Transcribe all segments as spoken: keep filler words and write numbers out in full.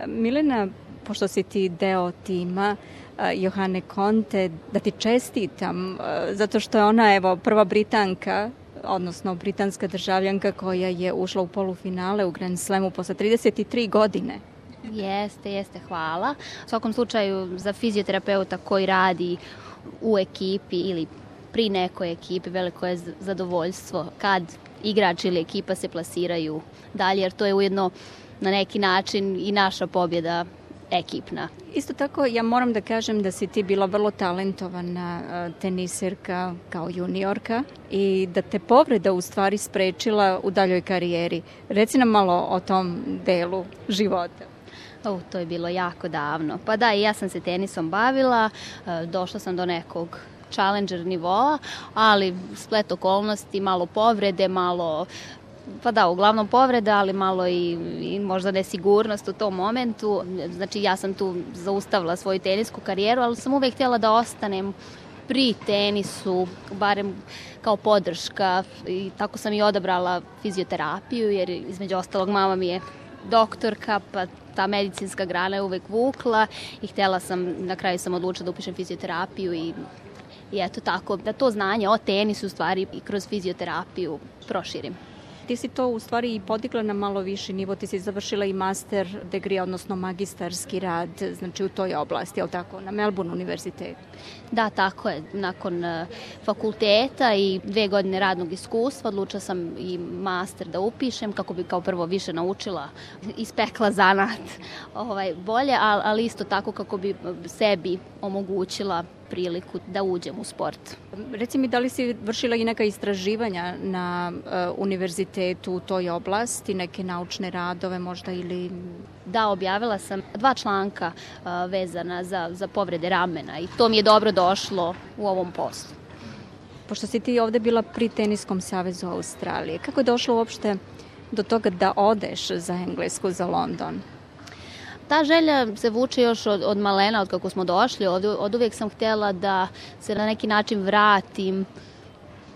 Milena, pošto si ti deo tima Johane Konte, da ti čestitam, zato što je ona evo prva Britanka, odnosno britanska državljanka koja je ušla u polufinale u Grand Slamu posle trideset tri godine. Jeste, jeste, hvala. U svakom slučaju za fizioterapeuta koji radi u ekipi ili pri nekoj ekipi veliko je zadovoljstvo kad igrač ili ekipa se plasiraju dalje, jer to je ujedno na neki način i naša pobjeda ekipna. Isto tako, ja moram da kažem da si ti bila vrlo talentovana teniserka kao juniorka i da te povreda u stvari sprečila u daljoj karijeri. Reci nam malo o tom delu života. O, to je bilo jako davno. Pa da, i ja sam se tenisom bavila, došla sam do nekog challenger nivoa, ali splet okolnosti, malo povrede, malo, pa da, uglavnom povreda, ali malo i, i možda nesigurnost u tom momentu. Znači ja sam tu zaustavila svoju tenisku karijeru, ali sam uvek htjela da ostanem pri tenisu, barem kao podrška, i tako sam i odabrala fizioterapiju, jer između ostalog mama mi je doktorka, pa ta medicinska grana je uvek vukla i htjela sam, na kraju sam odlučila da upišem fizioterapiju i, i eto tako, da to znanje o tenisu u stvari i kroz fizioterapiju proširim. Ti si to u stvari i podigla na malo viši nivo, ti si završila i master degree, odnosno magistarski rad, znači u toj oblasti, je li tako, na Melbourne univerzitetu? Da, tako je. Nakon uh, fakulteta i dve godine radnog iskustva odlučila sam i master da upišem kako bi kao prvo više naučila, ispekla zanat ovaj, bolje, ali, ali isto tako kako bi sebi omogućila priliku da uđem u sport. Reci mi, da li si vršila i neka istraživanja na uh, univerzitetu u toj oblasti, neke naučne radove možda ili... Da, objavila sam dva članka uh, vezana za, za povrede ramena i to mi je dobro došlo u ovom poslu. Pošto si ti ovde bila pri Teniskom savezu Australije, kako je došlo uopšte do toga da odeš za Englesku, za London? Ta želja se vuče još od, od malena, od kako smo došli ovde. Od uvijek sam htjela da se na neki način vratim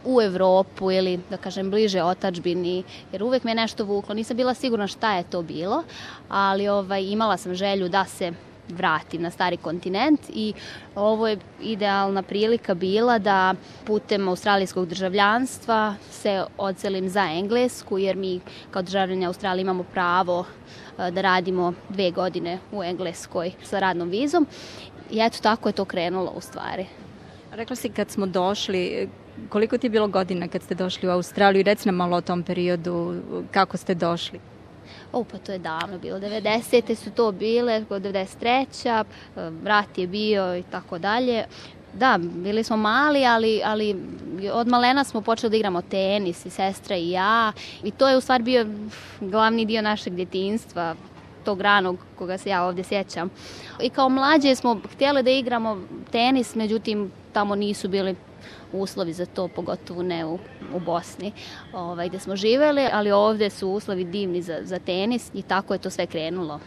u Evropu ili, da kažem, bliže otadžbini, jer uvijek me nešto vuklo. Nisam bila sigurna šta je to bilo, ali ovaj, imala sam želju da se vratim na stari kontinent i ovo je idealna prilika bila da putem australijskog državljanstva se odselim za Englesku, jer mi kao državljani Australije imamo pravo da radimo dve godine u Engleskoj sa radnom vizom i eto tako je to krenulo u stvari. Rekla si kad smo došli, koliko ti je bilo godina kad ste došli u Australiju i reci nam malo o tom periodu, kako ste došli? O, pa to je davno bilo, devedesete su to bile, devedeset treća rat je bio i tako dalje. Da, bili smo mali, ali, ali od malena smo počeli da igramo tenis i sestra i ja i to je u stvari bio glavni dio našeg djetinjstva, tog ranog koga se ja ovdje sjećam. I kao mlađe smo htjeli da igramo tenis, međutim tamo nisu bili uslovi za to, pogotovo ne u, u Bosni ovaj, gdje smo živjeli, ali ovdje su uslovi divni za, za tenis i tako je to sve krenulo.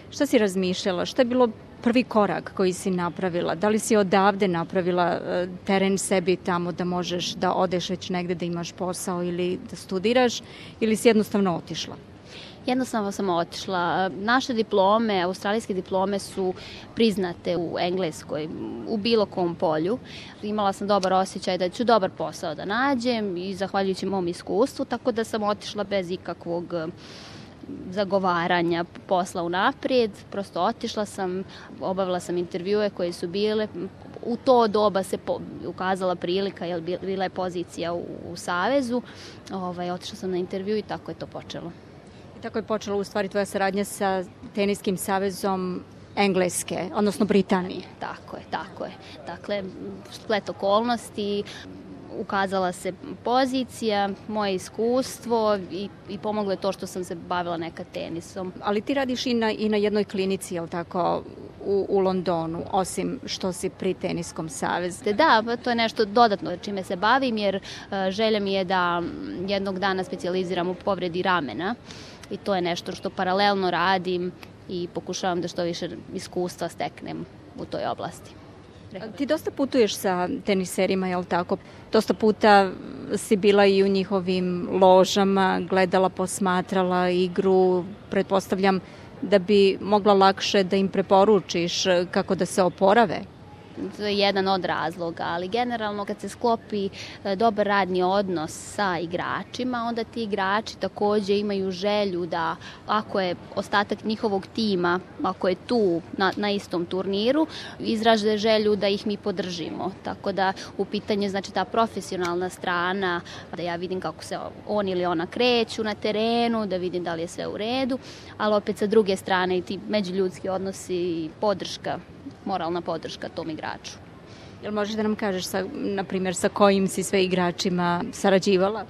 Šta si razmišljala? Šta je bilo prvi korak koji si napravila? Da li si odavde napravila teren sebi tamo da možeš da odeš već negde da imaš posao ili da studiraš ili si jednostavno otišla? Jednostavno sam otišla. Naše diplome, australijske diplome su priznate u Engleskoj, u bilo kom polju. Imala sam dobar osjećaj da ću dobar posao da nađem i zahvaljujući mom iskustvu, tako da sam otišla bez ikakvog zagovaranja posla unaprijed. Prosto otišla sam, obavila sam intervjue koje su bile. U to doba se po, ukazala prilika, jer bila je pozicija u, u Savezu. Ovaj, otišla sam na intervju i tako je to počelo. I tako je počela u stvari tvoja saradnja sa Teniskim savezom Engleske, odnosno Britanije. Tako je, tako je. Dakle, splet okolnosti, ukazala se pozicija, moje iskustvo i, i pomoglo je to što sam se bavila nekad tenisom. Ali ti radiš i na, i na jednoj klinici, jel tako, u, u Londonu, osim što si pri Teniskom savezu? Da, to je nešto dodatno čime se bavim, jer uh, želja mi je da jednog dana specijaliziram u povredi ramena i to je nešto što paralelno radim i pokušavam da što više iskustva steknem u toj oblasti. Ti dosta putuješ sa teniserima, jel tako? Dosta puta si bila i u njihovim ložama, gledala, posmatrala igru, pretpostavljam da bi mogla lakše da im preporučiš kako da se oporave? To je jedan od razloga, ali generalno kad se sklopi dobar radni odnos sa igračima, onda ti igrači takođe imaju želju da, ako je ostatak njihovog tima, ako je tu na, na istom turniru, izraže želju da ih mi podržimo. Tako da u pitanju znači ta profesionalna strana, da ja vidim kako se on ili ona kreću na terenu, da vidim da li je sve u redu, ali opet sa druge strane i ti međuljudski odnosi i podrška, moralna podrška tom igraču. Jel možeš da nam kažeš, sa, na primjer, sa kojim si sve igračima sarađivala?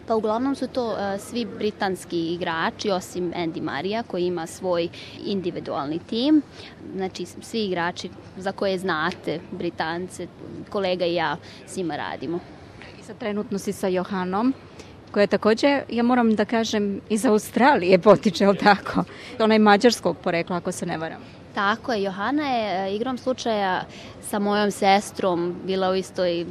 Pa uglavnom su to uh, svi britanski igrači, osim Andy Marija koji ima svoj individualni tim. Znači svi igrači za koje znate, Britance, kolega i ja s njima radimo. I sad trenutno si sa Johanom, koja je takođe, ja moram da kažem, iz Australije potiče, ali tako? Ona je mađarskog porekla, ako se ne varam. Tako je, Johana je igrom slučaja sa mojom sestrom bila u istoj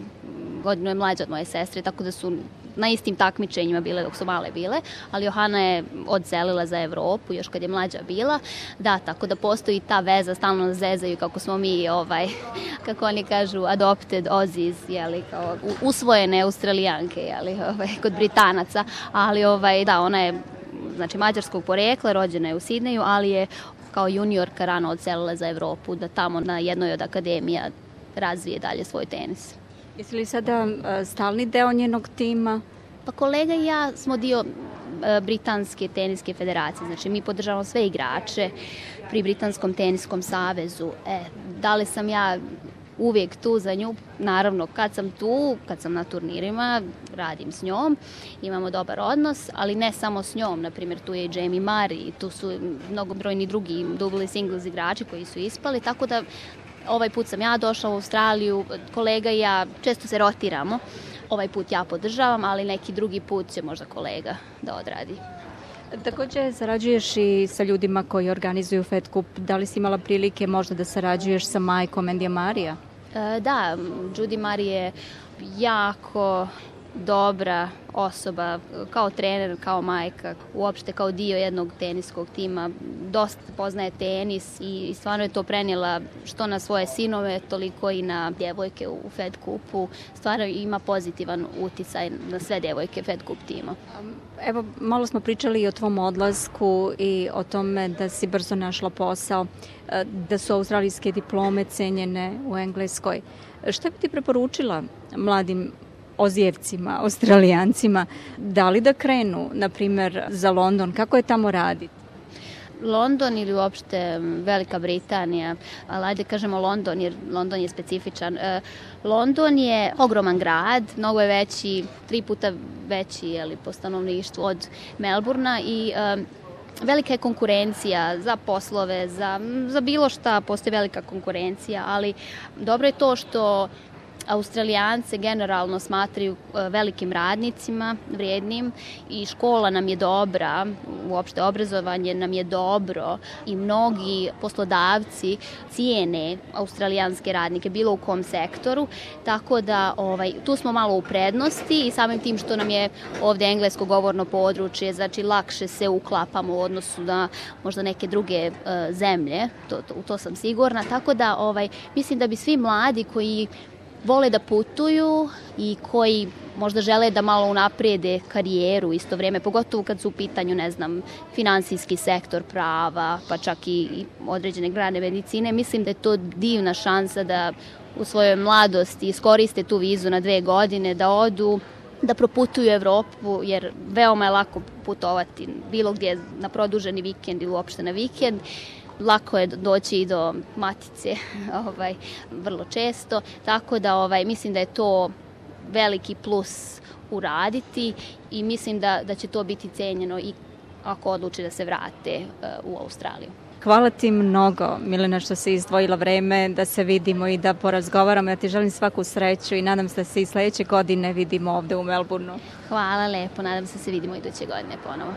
godinu je mlađa od moje sestre, tako da su na istim takmičenjima bile dok su male bile, ali Johana je odselila za Evropu još kad je mlađa bila. Da, tako da postoji ta veza, stalno nas zezaju kako smo mi, ovaj, kako oni kažu, adopted Aussies, jeli, kao usvojene Australijanke, jeli, ovaj, kod Britanaca, ali ovaj, da, ona je znači mađarskog porekla, rođena je u Sidneju, ali je kao juniorka rano odselila za Evropu, da tamo na jednoj od akademija razvije dalje svoj tenis. Jesi li sada stalni deo njenog tima? Pa kolega i ja smo dio Britanske teniske federacije, znači mi podržavamo sve igrače pri Britanskom teniskom savezu. E, da li sam ja uvijek tu za nju? Naravno, kad sam tu, kad sam na turnirima, radim s njom, imamo dobar odnos, ali ne samo s njom, na primjer tu je i Jamie Murray, tu su mnogobrojni drugi dubli singles igrači koji su ispali, tako da ovaj put sam ja došla u Australiju, kolega i ja često se rotiramo, ovaj put ja podržavam, ali neki drugi put će možda kolega da odradi. Takođe sarađuješ i sa ljudima koji organizuju Fed Cup. Da li si imala prilike možda da sarađuješ sa majkom Andija Marija? E, da, Judy Murray je jako dobra osoba, kao trener, kao majka, uopšte kao dio jednog teniskog tima, dosta poznaje tenis i stvarno je to prenijela što na svoje sinove, toliko i na djevojke u Fed Cupu. Stvarno ima pozitivan uticaj na sve djevojke Fed Cup tima. Evo, malo smo pričali i o tvom odlasku i o tome da si brzo našla posao, da su australijske diplome cenjene u Engleskoj. Šta bi ti preporučila mladim Ozijevcima, Australijancima, da li da krenu, na primjer, za London? Kako je tamo raditi? London ili uopšte Velika Britanija, ali ajde kažemo London, jer London je specifičan. London je ogroman grad, mnogo je veći, tri puta veći jeli, po stanovništvu od Melburna i um, velika je konkurencija za poslove, za, za bilo šta postoji velika konkurencija, ali dobro je to što Australijance generalno smatraju velikim radnicima, vrijednim i škola nam je dobra, uopšte obrazovanje nam je dobro i mnogi poslodavci cijene australijanske radnike bilo u kom sektoru, tako da ovaj, tu smo malo u prednosti i samim tim što nam je ovde englesko govorno područje, znači lakše se uklapamo u odnosu na možda neke druge uh, zemlje, to, to, u to sam sigurna, tako da ovaj, mislim da bi svi mladi koji vole da putuju i koji možda žele da malo unaprijede karijeru u isto vrijeme, pogotovo kad su u pitanju, ne znam, finansijski sektor prava, pa čak i, i određene grane medicine. Mislim da je to divna šansa da u svojoj mladosti iskoriste tu vizu na dve godine, da odu, da proputuju Evropu, jer veoma je lako putovati bilo gdje na produženi vikend ili uopšte na vikend. Lako je doći i do matice ovaj, vrlo često, tako da ovaj, mislim da je to veliki plus uraditi i mislim da, da će to biti cenjeno i ako odluče da se vrate uh, u Australiju. Hvala ti mnogo, Milena, što si izdvojila vreme da se vidimo i da porazgovaramo. Ja ti želim svaku sreću i nadam se da se i sledeće godine vidimo ovde u Melbourneu. Hvala lepo, nadam se da se vidimo iduće godine ponovo.